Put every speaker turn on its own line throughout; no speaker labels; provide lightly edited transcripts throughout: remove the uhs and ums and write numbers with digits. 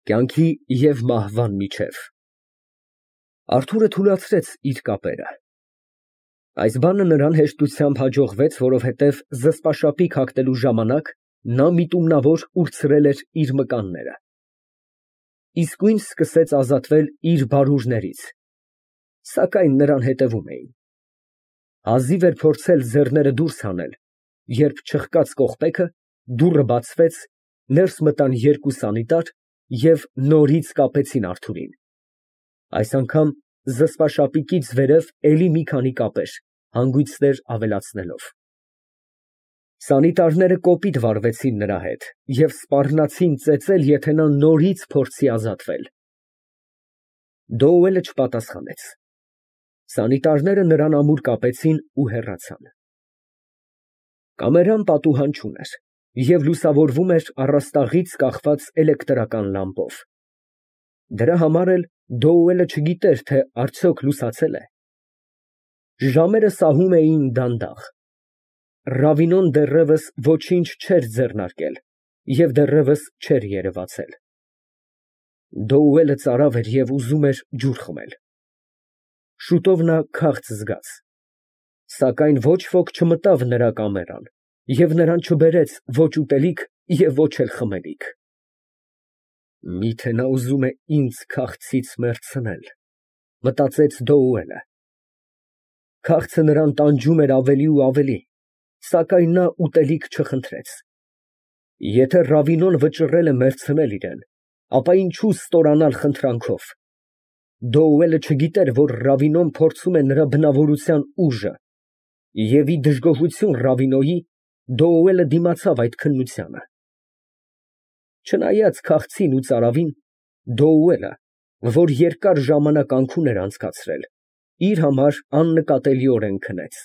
Կյանքի և մահվան միջև։ Արթուրը թուլացրեց իր կապերը։ Այս բանը նրան հեշտությամբ հաջողվեց, որովհետև զսպաշապիկ հագնելու ժամանակ նա միտումնավոր ուրցրել էր իր մկանները։ Իսկույն սկսեց ազատվել իր բարուրներից, սակայն նրան հետևում էին։ Հազիվ էր փորձել ձեռները դուրս հանել, երբ չխկաց կողպեքը, դուռը բացվեց, ներս մտան երկու սանիտար և նորից կապեցին Արթուրին, այս անգամ զսպաշապիկից վերև էլի մի քանի կապեր, հանգույցներ ավելացնելով։ Սանիտարները կոպիտ վարվեցին նրա հետ և սպառնացին ծեծել, եթե նա նորից փորձի ազատվել։ Դոուելը չպատասխանեց։ Սանիտարները նրան ամուր կապեցին ու հեռացան։ Կամերան պատուհան չուներ և լուսավորվում էր առաստաղից կախված էլեկտրական լամպով։ Դրա համար էլ Դոուելը չգիտեր, թե արդյոք լուսացե՞լ է։ Ժամերը սահում էին դանդաղ։ Ռավինոն դեռևս ոչինչ չէր ձեռնարկել և դեռևս չէր երևացել։ Դոուելը ծարավ էր և ուզում էր ջուր խմել։ Շուտով նա քաղց զգաց, սակայն ոչ ոք չմտավ նրա կամերան և նրան չբերեց ոչ ուտելիք և ոչ էլ խմելիք։ Միթե նա ուզում է ինձ քաղցից մեռցնել, մտածեց Դոուելը։ Քաղցը նրան տանջում էր ավելի ու ավելի, սակայն նա ուտելիք չխնդրեց։ Եթե Ռավինոն վճռել է մեռցնել իրան, ապա ինչո՞ւ ստորանալ խնդրանքով։ Դոուելը չգիտեր, որ Ռավինոն փորձում է նրա բնավորության ուժը, և ի դժգոհություն Ռավինոյի, Դոուելը դիմացավ այդ քննությանը։ Չնայած քաղցին ու ծարավին, Դոուելը, որ երկար ժամանակ անքուն էր անցկացրել, իր համար աննկատելիորեն քնեց։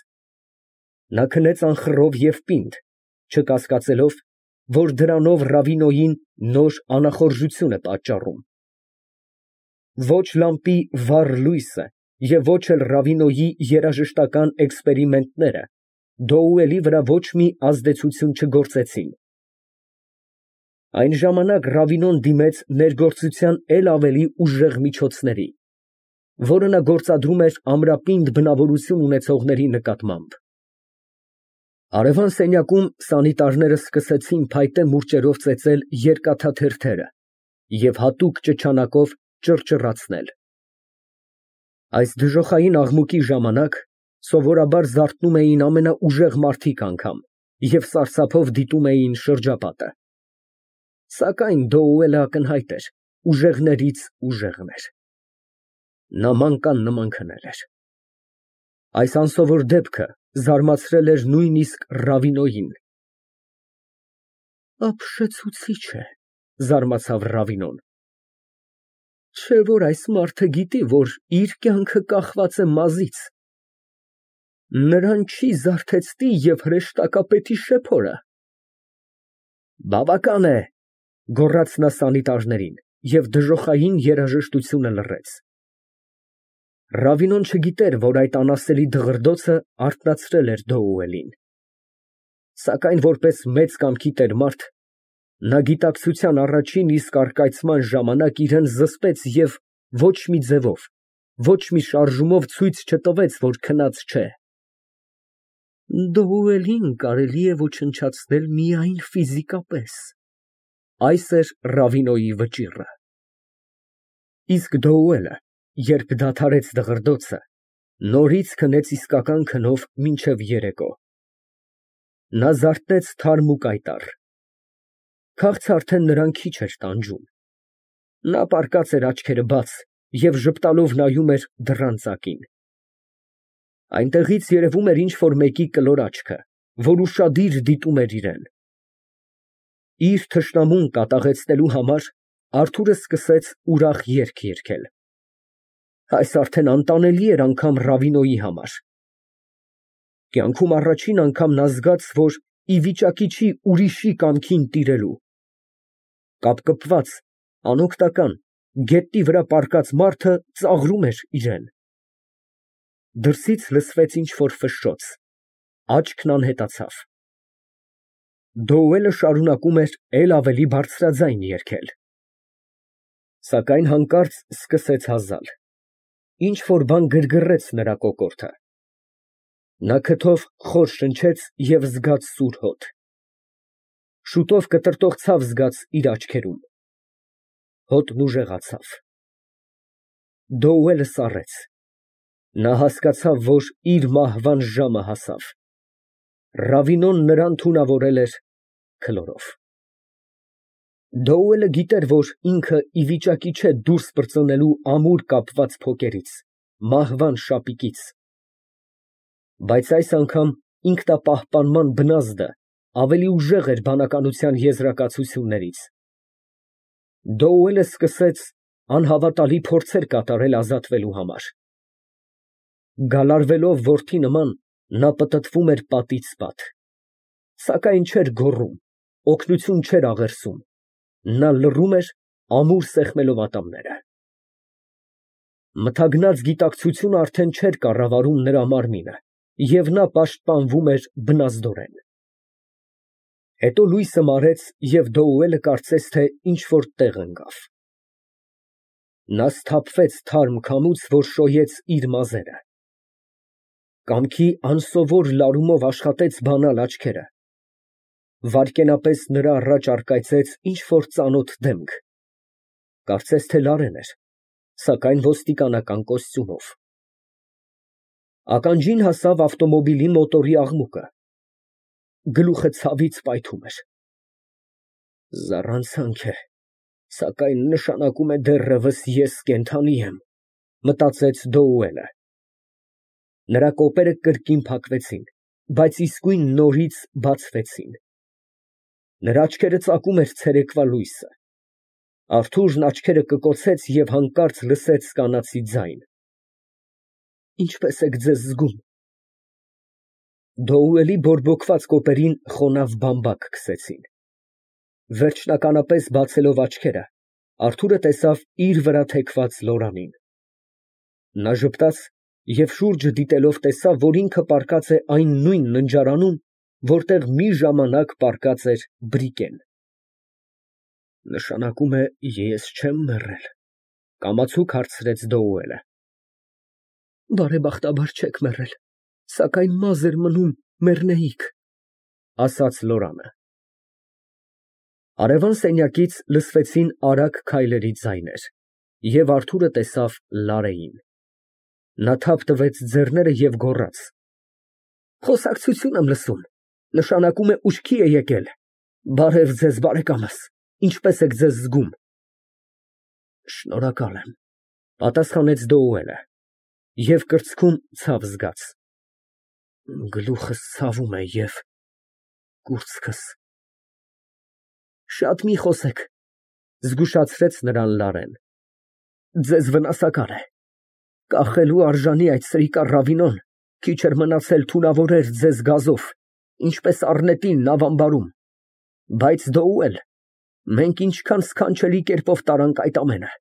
Նա քնեց անխռով և պինդ, չկասկածելով, որ դրանով Ռավինոյին նոր անախորժություն է պատճառում։ Ոչ լամպի վառ լույսը և ոչ էլ Ռավինոյի երաժշտական էքսպերիմենտները Դոուելի վրա ոչ մի ազդեցություն չգործեցին։ Այն ժամանակ Ռավինոն դիմեց ներգործության էլ ավելի ուժեղ միջոցների, որը նա գործադրում էր ամրապինդ բնավորություն ունեցողների նկատմամբ։ Հարևան սենյակում սանիտարները սկսեցին փայտե մուրճերով ծեծել երկաթաթերթերը և հատուկ ճչանակով ճռճռացնել։ Այս դժոխային աղմուկի ժամանակ սովորաբար զարթնում էին ամենաուժեղ մարդիկ անգամ և սարսափով դիտում էին շրջապատը։ Սակայն Դոուելը ակնհայտ էր, ուժեղներից ուժեղն էր։ Նա մանկան նման քնել էր։ Այս անսովոր դեպքը զարմացրել էր նույնիսկ Ռավինոյին։ Ապշեցուցիչ է, զարմացավ Ռավինոն։ Չէ՞ որ այս մարդը գիտի, որ իր կյանքը կախված է մազից։ Նրան չի զարթեցնի և հրեշտակապետի շեփորը։ Բավական է, գոռաց նա սանիտարներին և դժոխային երաժշտությունը լռեց։ Ռավինոն չգիտեր, որ այդ անասելի դղրդոցը արթնացրել էր Դոուելին։ Սակայն որպես մեծ կամքի տեր մարդ, նա գիտակցության առաջին իսկ առկայծման ժամանակ իրան զսպեց և ոչ մի ձևով, ոչ մի շարժումով ցույց չտվեց, որ քնած չէ։ Դոուելին կարելի է ոչնչացնել միայն ֆիզիկապես, այս էր Ռավինոյի վճիռը։ Իսկ Դոուելը, երբ դադարեց դղրդոցը, նորից քնեց իսկական քնով մինչև երեկո։ Նա զարթնեց թարմ ու կայտառ։ Քաղցը արդեն նրան քիչ էր տանջում։ Նա պառկած էր աչքերը բաց և ժպտալով նայում էր դռան ծակին։ Այնտեղից երևում էր ինչ֊որ մեկի կլոր աչքը, որ ուշադիր դիտում էր իրան։ Իր թշնամուն կատաղեցնելու համար Արթուրը սկսեց ուրախ երգ երգել։ Այս արդեն անտանելի էր անգամ Ռավինոյի համար։ Կյանքում առաջին անգամ նա զգաց, որ ի վիճակի չի ուրիշի կամքին տիրելու։ Կապկպված, անօգնական, գետնի վրա պառկած մարդը ծաղրում էր իրան։ Դրսից լսվեց ինչ֊որ ֆշշոց, աչքն անհետացավ։ Դոուելը շարունակում էր էլ ավելի բարձրաձայն երգել։ Սակայն հանկարծ սկսեց հազալ։ Ինչ որ բան գրգռեց նրա կոկորդը։ Նա քթով խոր շնչեց և զգաց սուր հոտ։ Շուտով կտրտող ցավ զգաց իր աչքերում։ Հոտն ուժեղացավ։ Դոուելը սառեց։ Նա հասկացավ, որ իր մահվան ժամը հասավ։ Ռավինոն նրան թունավորել էր քլորով։ Դոուելը գիտեր, որ ինքը ի վիճակի չէ դուրս պրծնելու ամուր կապված փոկերից, մահվան շապիկից։ Բայց այս անգամ ինքնապահպանման բնազդը ավելի ուժեղ էր բանականության եզրակացություններից։ Դոուելը սկսեց անհավատալի փորձեր կատարել ազատվելու համար։ Գալարվելով որդի նման, նա պտտվում էր պատից պատ, սակայն չէր գոռում, օգնություն չէր աղերսում, նա լռում էր, ամուր սեղմելով ատամները։ Մթագնած գիտակցությունը արդեն չէր կառավարում նրա մարմինը, և նա պաշտպանվում էր բնազդորեն։ Հետո լույսը մարեց, և Դոուելը կարծես թե ինչ֊որ տեղ ընկավ։ Նա սթափվեց թարմ քամուց, որ շոյեց իր մազերը։ Կամքի անսովոր լարումով աշխատեց բանալ աչքերը։ Վայրկենապես նրա առաջ առկայծեց ինչ֊որ ծանոթ դեմք, կարծես թե Լարեն էր, սակայն ոստիկանական կոստյումով։ Ականջին հասավ ավտոմոբիլի մոտորի աղմուկը։ Գլուխը ցավից պայթում էր։ Զառանցանք է, սակայն նշանակում է դեռևս ես կենդանի եմ, մտածեց Դոուելը։ Նրա կոպերը կրկին փակվեցին, բայց իսկույն նորից բացվեցին։ Նրա աչքերը ծակում էր ցերեկվա լույսը։ Արթուրն աչքերը կկոցեց և հանկարծ լսեց կանացի ձայն. Ինչպե՞ս եք ձեզ զգում։ Դոուելի բորբոքված կոպերին խոնավ բամբակ քսեցին։ Վերջնականապես բացելով աչքերը, Արթուրը տեսավ իր վրա թեքված Լորանին։ Նա ժպտաց և շուրջը դիտելով տեսավ, որ ինքը պառկած է այն նույն ննջարանում, որտեղ մի ժամանակ պառկած էր Բրիկեն։ Նշանակում է, ես չեմ մեռել, կամացուկ հարցրեց Դոուելը։ Բարեբախտաբար չեք մեռել, սակայն մազ էր մնում մեռնեիք, ասաց Լորանը։ Արևան սենյակից լսվեցին արագ քայլերի ձայներ, և Արթուրը տեսավ Լարեին։ Նա թափ տվեց ձեռները և գոռաց. Խոսակցություն եմ լսում, նշանակում է ուշքի է եկել։ Բարև ձեզ, բարեկամս, ինչպե՞ս եք ձեզ զգում։ Շնորհակալ եմ, պատասխանեց Դոուելը և կրծքում ցավ զգաց։ Գլուխս ցավում է և կուրծքս։ Շատ մի խոսեք, զգուշացրեց նրան Լարեն։ Ձեզ վնասակար է։ Կախելու արժանի այդ սրիկա Ռավինոն քիչ էր մնացել թունավորեր ձեզ գազով, ինչպես առնետին նավամբարում։ Բայց Դոուել, մենք ինչքան սքանչելի կերպով տարանք այդ ամենը։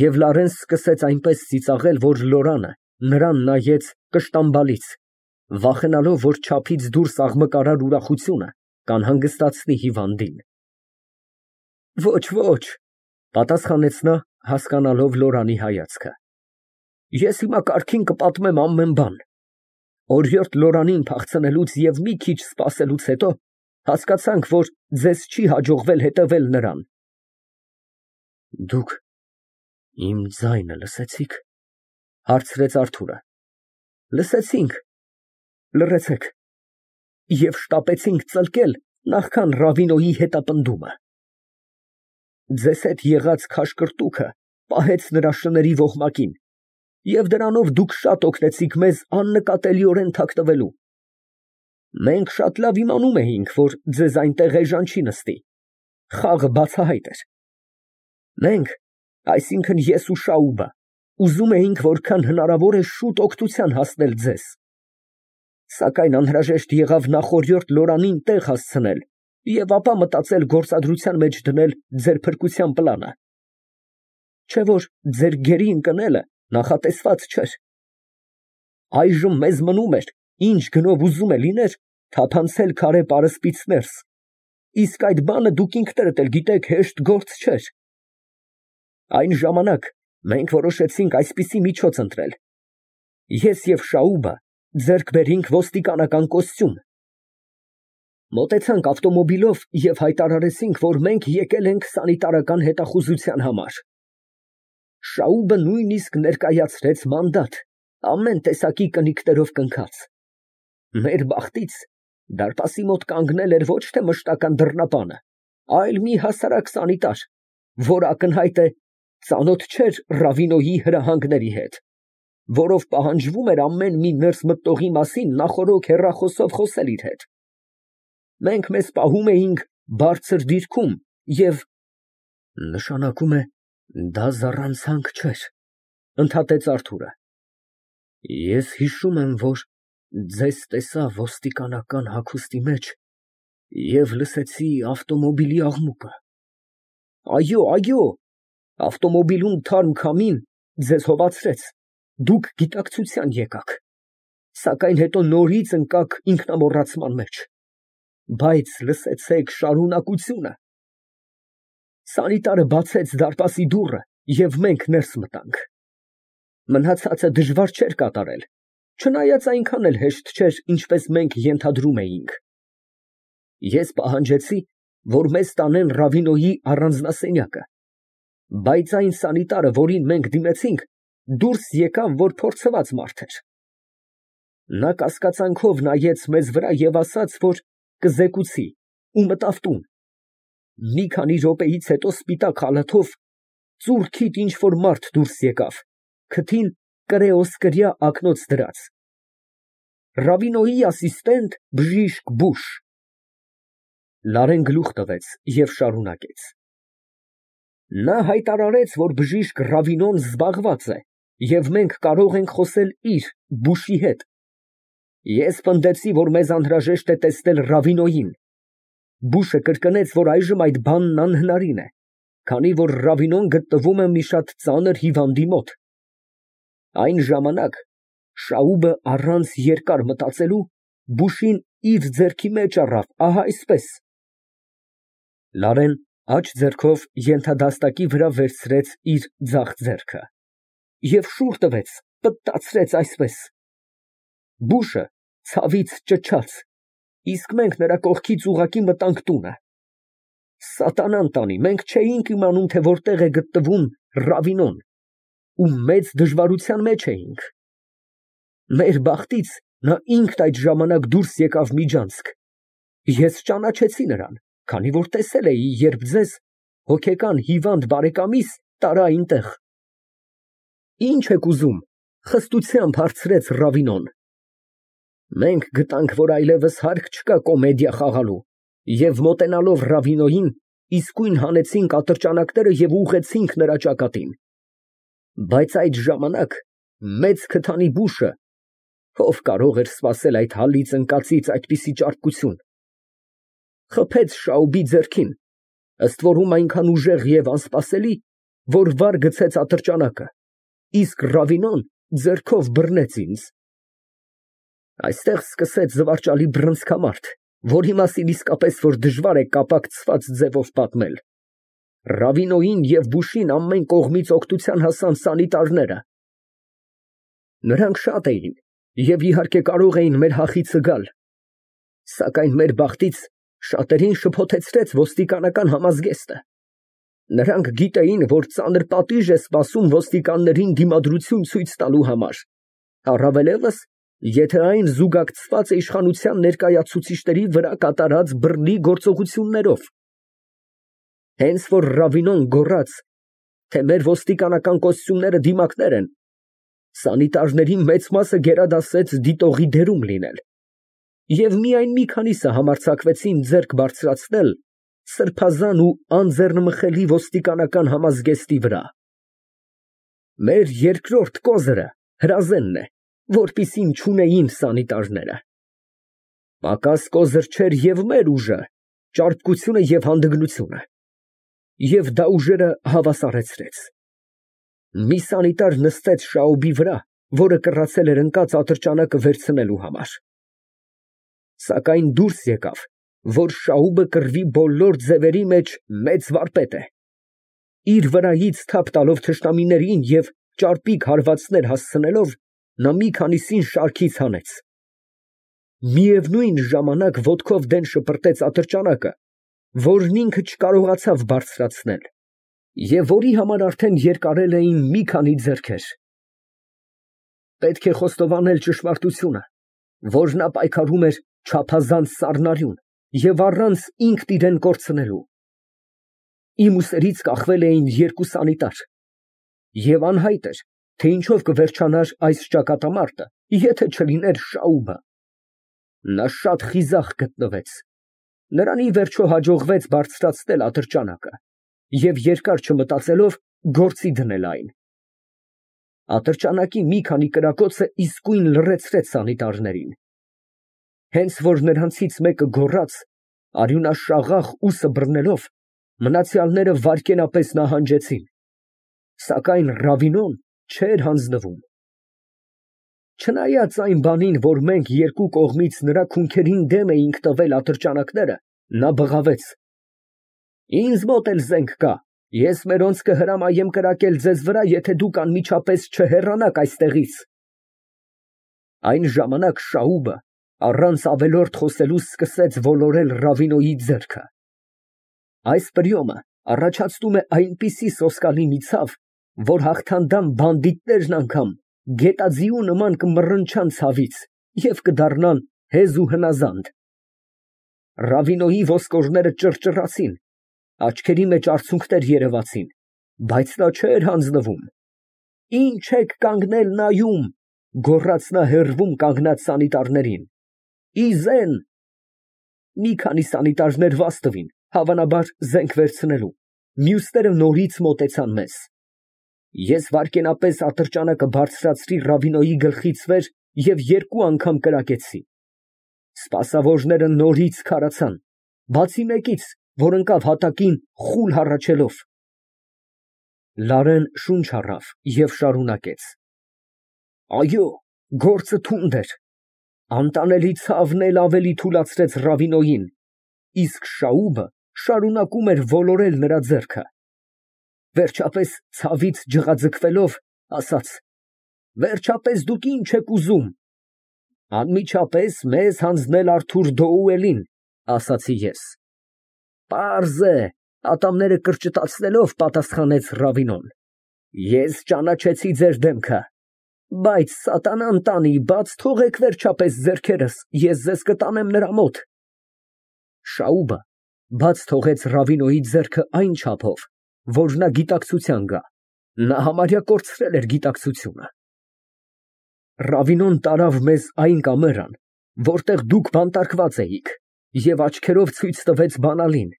Եվ Լարեն սկսեց այնպես ծիծաղել, որ Լորանը նրան նայեց կշտամբալից, վախենալով, որ չափից դուրս աղմկարար ուրախությունը կանհանգստացնի հիվանդին։ Ոչ, ոչ, պատասխանեց նա, հասկանալով Լորանի հայացքը։ Ես հիմա կարգին կպատմեմ ամեն բան։ Օրիորդ Լորանին փախցնելուց և մի քիչ սպասելուց հետո հասկացանք, որ ձեզ չի հաջողվել հետևել նրան։ Դուք իմ ձայնը լսեցի՞ք, հարցրեց Արթուրը։ Լսեցինք, լռեցեք, և շտապեցինք ծլկել, նախքան Ռավինոյի հետապնդումը։ Ձեզ հետ եղած քաշկրտուքը պահեց նրա շների ոհմակին, և դրանով դուք շատ օգնեցիք մեզ աննկատելիորեն թաքնվելու։ Մենք շատ լավ իմանում էինք, որ ձեզ այնտեղ էժան չի նստի, խաղը բացահայտ էր։ Մենք, այսինքն ես ու Շաուբը, ուզում էինք որքան հնարավոր է շուտ օգնության հասնել ձեզ։ Սակայն անհրաժեշտ եղավ նախօրյորդ Լորանին տեղ հասցնել և ապա մտածել գործադրության մեջ դնել ձեր փրկության պլանը։ Չէ որ ձեր գերի ընկնելը նախատեսված չէր։ Այժմ մեզ մնում էր, ինչ գնով ուզում է լիներ, թափանցել քարե պարսպից ներս, իսկ այդ բանը դուք ինքներդ էլ գիտեք հեշտ գործ չէր։ Այն ժամանակ մենք որոշեցինք այսպիսի միջոց ընտրել. ես և Շաուբը ձեռք բերեինք ոստիկանական կոստյում, մոտեցանք ավտոմոբիլով և հայտարարեցինք, որ մենք եկել ենք սանիտարական հետախուզության համար։ Շաուբը նույնիսկ ներկայացրեց մանդատ, ամեն տեսակի կնիկներով կնքած։ Մեր բախտից դարպասի մոտ կանգնել էր ոչ թե մշտական դռնապանը, այլ մի հասարակ սանիտար, որ ակնհայտ է ծանոթ չէր Ռավինոյի հրահանգների հետ, որով պահանջվում էր ամեն մի ներս մտնողի մասին նախօրոք հեռախոսով խոսել իր հետ։ Մենք մեզ պահում էինք բարձր դիրքում և… Նշանակում է, դա զառանցանք չէր, ընդհատեց Արթուրը։ Ես հիշում եմ, որ ձեզ տեսա ոստիկանական հագուստի մեջ և լսեցի ավտոմոբիլի աղմուկը։ Այո, ավտոմոբիլում թարմ քամին ձեզ հովացրեց, դուք գիտակցության եկաք, սակայն հետո նորից ընկաք ինքնամոռացման մեջ։ Բայց լսեցեք շարունակությունը։ Սանիտարը բացեց դարպասի դուռը և մենք ներս մտանք։ Մնացածը դժվար չէր կատարել, չնայած այնքան էլ հեշտ չէր, ինչպես մենք ենթադրում էինք։ Ես պահանջեցի, որ մեզ տանեն Ռավինոյի առանձնասենյակը, բայց այն սանիտարը, որին մենք դիմեցինք, դուրս եկավ, որ փորձված մարդ էր։ Նա կասկածանքով նայեց մեզ վրա և ասաց, որ կզեկուցի, ու մտավ տուն։ Մի քանի րոպեից հետո սպիտակ խալաթով ծուռքիթ ինչ֊որ մարդ դուրս եկավ, քթին կրեոսկրյա ակնոց դրած։ Ռավինոյի ասիստենտ բժիշկ Բուշ։ Լարեն գլուխ տվեց և շարունակեց. Նա հայտարարեց, որ բժիշկ Ռավինոն զբաղված է, և մենք կարող ենք խոսել իր՝ Բուշի հետ։ Ես պնդեցի, որ մեզ անհրաժեշտ է տեսնել Ռավինոյին։ Բուշը կրկնեց, որ այժմ այդ բանն անհնարին է, քանի որ Ռավինոն գտնվում է մի շատ ծանր հիվանդի մոտ։ Այն ժամանակ Շաուբը առանց երկար մտածելու Բուշին իր ձեռքի մեջ առավ, ահա այսպես։ Լարեն աջ ձեռքով ենթադաստակի վրա վերցրեց իր ձախ ձեռքը և շուռ տվեց, պտտացրեց այսպես։ Բուշը ցավից ճչաց, իսկ մենք նրա կողքից ուղղակի մտանք տունը։ Սատանան տանի, մենք չէինք իմանում, թե որտեղ է գտնվում Ռավինոն, ու մեծ դժվարության մեջ էինք։ Մեր բախտից նա ինքն այդ ժամանակ դուրս եկավ միջանցք։ Ես ճանաչեցի նրան, քանի որ տեսել էի, երբ ձեզ, հոգեկան հիվանդ բարեկամիս, տարա այնտեղ։ Ինչ եք ուզում, խստությամբ հարցրեց Ռավինոն։ Մենք գտանք, որ այլևս հարկ չկա կոմեդիա խաղալու, և մոտենալով Ռավինոյին, իսկույն հանեցինք ատրճանակները և ուղղեցինք նրա ճակատին։ Բայց այդ ժամանակ մեծ քթանի Բուշը, ով կարող էր սպասել այդ հալից ընկածից այդպիսի ճարպկություն, խփեց Շաուբի ձեռքին, ըստ որում այնքան ուժեղ և անսպասելի, որ վար գցեց ատրճանակը, իսկ Ռավինոն ձեռքով բռնեց ինձ։ Այստեղ սկսեց զվարճալի բռնցքամարտ, որի մասին իսկապես որ դժվար է կապակցված ձևով պատմել։ Ռավինոյին և Բուշին ամեն կողմից օգնության հասան սանիտարները։ Նրանք շատ էին և իհարկե կարող էին մեր հախիցը գալ, սակայն մեր բախտից շատերին շփոթեցրեց ոստիկանական համազգեստը։ Նրանք գիտեին, որ ծանր պատիժ է սպասում ոստիկաններին դիմադրություն ցույց տալու համար, առավելևս, եթե այն զուգակցված է իշխանության ներկայացուցիչների վրա կատարած բռնի գործողություններով։ Հենց որ Ռավինոն գոռաց, թե մեր ոստիկանական կոստյումները դիմակներ են, սանիտարների մեծ մասը գերադասեց դիտողի դերում լինել, և միայն մի քանիսը համարձակվեցին ձեռք բարձրացնել սրբազան ու անձեռնմխելի ոստիկանական համազգեստի վրա։ Մեր երկրորդ կոզիրը հրազենն է, որպիսին չունեին սանիտարները։ Պակաս կոզիր չէր և մեր ուժը, ճարպկությունը և հանդգնությունը, և դա ուժերը հավասարեցրեց։ Մի սանիտար նստեց Շաուբի վրա, որը կռացել էր ընկած ատրճանակը վերցնելու համար։ Սակայն դուրս եկավ, որ Շաուբը կռվի բոլոր ձևերի մեջ մեծ վարպետ է։ իր վրայից թափ տալով թշնամիներին և ճարպիկ հարվածներ հասցնելով, նա մի քանիսին շարքից հանեց։ Միևնույն ժամանակ ոտքով դեն շպրտեց ատրճանակը, որն ինքը չկարողացավ բարձրացնել, և որի համար արդեն երկարել էին մի քանի ձեռքեր։ Պետք է խոստովանել ճշմարտությունը, որ նա պայքարում էր չափազանց սառնարյուն և առանց ինքն իրան կորցնելու։ Իմ ուսերից կախվել էին երկու սանիտար, և անհայտ էր, թե ինչով կվերջանար այս ճակատամարտը, եթե չլիներ Շաուբը։ Նա շատ խիզախ գտնվեց, նրան ի վերջո հաջողվեց բարձրացնել ատրճանակը և երկար չմտածելով գործի դնել այն։ Ատրճանակի մի քանի կրակոցը իսկույն լռեցրեց սանիտարներին։ Հենց որ նրանցից մեկը գոռաց, արյունաշաղախ ուսը բռնելով, մնացյալները վայրկենապես նահանջեցին, սակայն Ռավինոն չէր հանձնվում։ Չնայած այն բանին, որ մենք երկու կողմից նրա քունքերին դեմ էինք տվել ատրճանակները, նա բղավեց. «Ինձ մոտ էլ զենք կա, ես մերոնց կհրամայեմ կրակել ձեզ վրա, եթե դուք անմիջապես չհեռանաք այստեղից»։ Այն ժամանակ Շաուբը առանց ավելորդ խոսելու սկսեց ոլորել Ռավինոյի ձեռքը։ Այս պրիոմը առաջացնում է այնպիսի սոսկալի մի ցավ, որ հաղթանդամ բանդիտներն անգամ գետաձիու նման կմռնչան ցավից և կդառնան հեզ ու հնազանդ։ Ռավինոյի ոսկորները ճռճռացին, աչքերի մեջ արցունքներ երևացին, բայց նա չէր հանձնվում։ «Ինչ եք կանգնել նայում», գոռաց նա հեռվում կանգնած սանիտարներին։ «Ի զեն»։ Մի քանի սանիտարներ վազ տվին, հավանաբար զենք վերցնելու, մյուսները նորից մոտեցան մեզ։ Ես վայրկենապես ատրճանակը բարձրացրի Ռավինոյի գլխից վեր և երկու անգամ կրակեցի։ Սպասավորները նորից քարացան, բացի մեկից, որ ընկավ հատակին խուլ հառաչելով։ Լարեն շունչ առավ և շարունակեց. «Այո, գործը թունդ էր։ Անտանելի ցավն էլ ավելի թուլացրեց Ռավինոյին, իսկ Շաուբը շարունակում էր ոլորել նրա ձեռքը։ Վերջապես ցավից ջղաձգվելով, ասաց. «Վերջապես դուք ինչ եք ուզում»։ «Անմիջապես մեզ հանձնել Արթուր Դոուելին», ասացի ես։ «Պարզ է», ատամները կրճտացնելով պատասխանեց Ռավինոն։ «Ես ճանաչեցի ձեր դեմքը, բայց սատանան տանի, բաց թողեք վերջապես ձեռքերս, ես ձեզ կտանեմ նրա մոտ»։ Շաուբը բաց թողեց Ռավինոյի ձեռքը այն չափով, որ նա գիտակցության գա, նա համարյա կորցրել էր գիտակցությունը։ Ռավինոն տարավ մեզ այն կամերան, որտեղ դուք բանտարկված էիք, և աչքերով ցույց տվեց բանալին։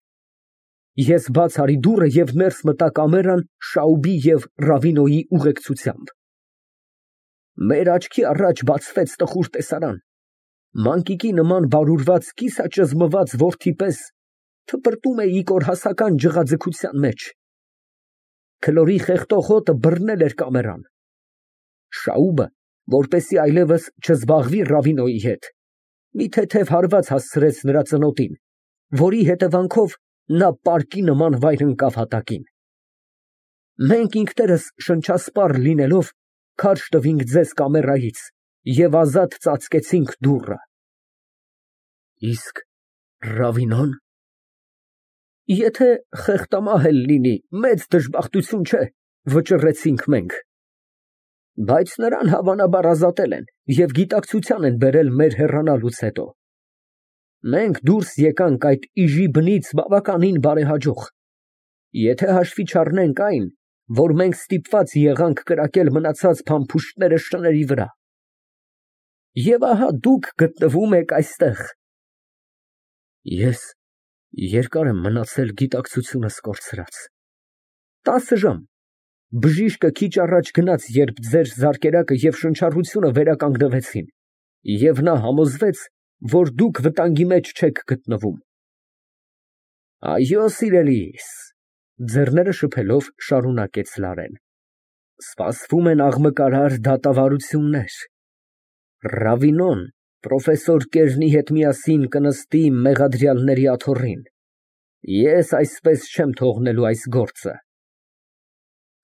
Ես բաց արի դուռը և ներս մտա կամերան Շաուբի և Ռավինոյի ուղեկցությամբ։ Մեր աչքի առաջ բացվեց տխուր տեսարան. մանկիկի նման բարուրված կիսաճզմված որդի պես թպրտում է կորհասական ջղաձգության մեջ։ Քլորի խեղդող հոտը բռնել էր կամերան։ Շաուբը, որպեսզի այլևս չզբաղվի Ռավինոյի հետ, մի թեթև հարված հասցրեց նրա ծնոտին, որի հետևանքով նա պարկի նման վայր ընկավ հատակին։ Մենք ինքներս շնչասպառ լինելով քարշ տվինք ձեզ կամերայից և ազատ ծածկեցինք դուռը։ Իսկ Ռավինոն։ Եթե խեղտամահ էլ լինի, մեծ դժբախտություն չէ, վճռեցինք մենք։ Բայց նրան հավանաբար ազատել են և գիտակցության են բերել մեր հեռանալուց հետո։ Մենք դուրս եկանք այդ իժի բնից բավականին բարեհաջող, եթե հաշվի չառնենք այն, որ մենք ստիպված եղանք կրակել մնացած փամփուշտները շների վրա։ Եվ ահա դուք գտնվում եք այստեղ։ Ես երկար եմ մնացել գիտակցությունս կորցրած։ 10 ժամ։ Բժիշկը քիչ առաջ գնաց, երբ ձեր զարկերակը և շնչառությունը վերականգնվեցին, և նա համոզվեց, որ դուք վտանգի մեջ չեք գտնվում։ Այո, սիրելիս, ձեռները շփելով շարունակեց Լարեն, սպասվում են աղմկարար դատավարություններ։ Ռավինոն պրոֆեսոր Կերնի հետ միասին կնստի մեղադրյալների աթոռին։ Ես այսպես չեմ թողնելու այս գործը։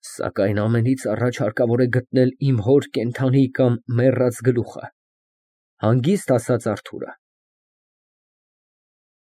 Սակայն ամենից առաջ հարկավոր է գտնել իմ հոր կենդանի կամ մեռած գլուխը, ֊ հանգիստ ասաց Արթուրը։